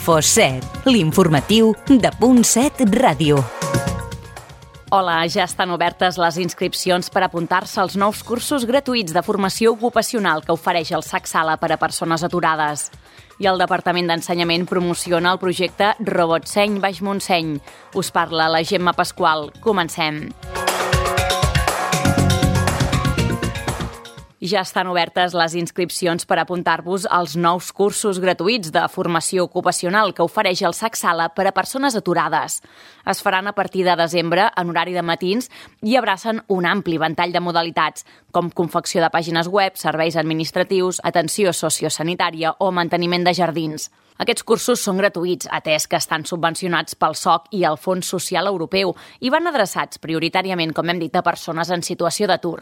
Info7, l'informatiu de .7 Ràdio. Hola, ja estan obertes les inscripcions per apuntar-se als nous cursos gratuïts de formació ocupacional que ofereix el SAC Sala per a persones aturades. I el Departament d'Ensenyament promociona el projecte Robotseny Baix Montseny. Us parla la Gemma Pasqual. Comencem. Ja estan obertes les inscripcions per apuntar-vos als nous cursos gratuïts de formació ocupacional que ofereix el SAC Sala per a persones aturades. Es faran a partir de desembre en horari de matins i abracen un ampli ventall de modalitats, com confecció de pàgines web, serveis administratius, atenció sociosanitària o manteniment de jardins. Aquests cursos són gratuïts, atès que estan subvencionats pel SOC i el Fons Social Europeu i van adreçats prioritàriament, com hem dit, a persones en situació d'atur.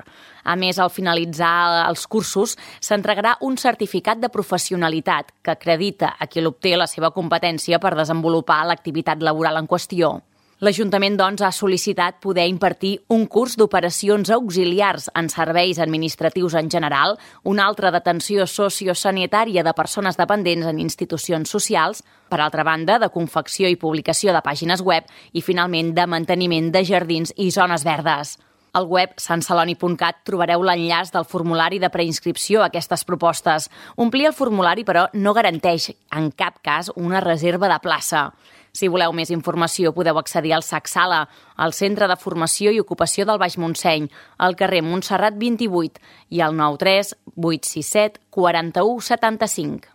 A més, al finalitzar els cursos, s'entregarà un certificat de professionalitat que acredita a qui l'obté la seva competència per desenvolupar l'activitat laboral en qüestió. L'Ajuntament, doncs, ha sol·licitat poder impartir un curs d'operacions auxiliars en serveis administratius en general, un altre d'atenció sociosanitària de persones dependents en institucions socials, per altra banda, de confecció i publicació de pàgines web i, finalment, de manteniment de jardins i zones verdes. Al web santceloni.cat trobareu l'enllaç del formulari de preinscripció a aquestes propostes. Omplir el formulari, però, no garanteix, en cap cas, una reserva de plaça. Si voleu més informació, podeu accedir al SAC Sala, al Centre de Formació i Ocupació del Baix Montseny, al carrer Montserrat 28 i al 93 867 41 75.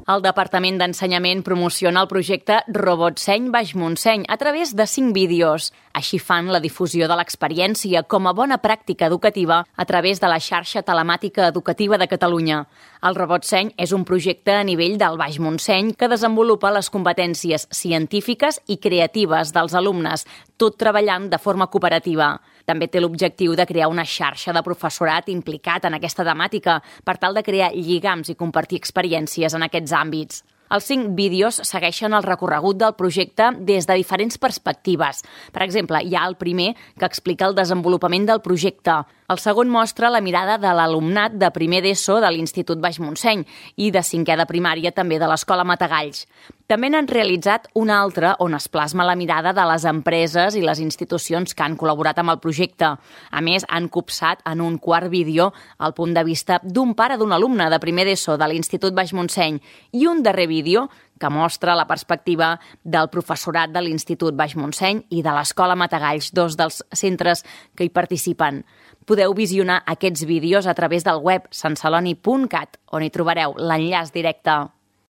El Departament d'Ensenyament promociona el projecte Robotseny Baix Montseny a través de 5 vídeos. Així fan la difusió de l'experiència com a bona pràctica educativa a través de la xarxa telemàtica educativa de Catalunya. El Robotseny és un projecte a nivell del Baix Montseny que desenvolupa les competències científiques i creatives dels alumnes, tot treballant de forma cooperativa. També té l'objectiu de crear una xarxa de professorat implicat en aquesta temàtica per tal de crear lligams i compartir experiències en aquests àmbits. Els 5 vídeos segueixen el recorregut del projecte des de diferents perspectives. Per exemple, hi ha el primer que explica el desenvolupament del projecte. El segon mostra la mirada de l'alumnat de primer d'ESO de l'Institut Baix Montseny i de 5è de primària també de l'Escola Matagalls. També n'han realitzat un altre on es plasma la mirada de les empreses i les institucions que han col·laborat amb el projecte. A més, han copsat en un quart vídeo el punt de vista d'un pare d'un alumne de primer d'ESO de l'Institut Baix Montseny i un darrer vídeo que mostra la perspectiva del professorat de l'Institut Baix Montseny i de l'Escola Matagalls, 2 dels centres que hi participen. Podeu visionar aquests vídeos a través del web santceloni.cat, on hi trobareu l'enllaç directe.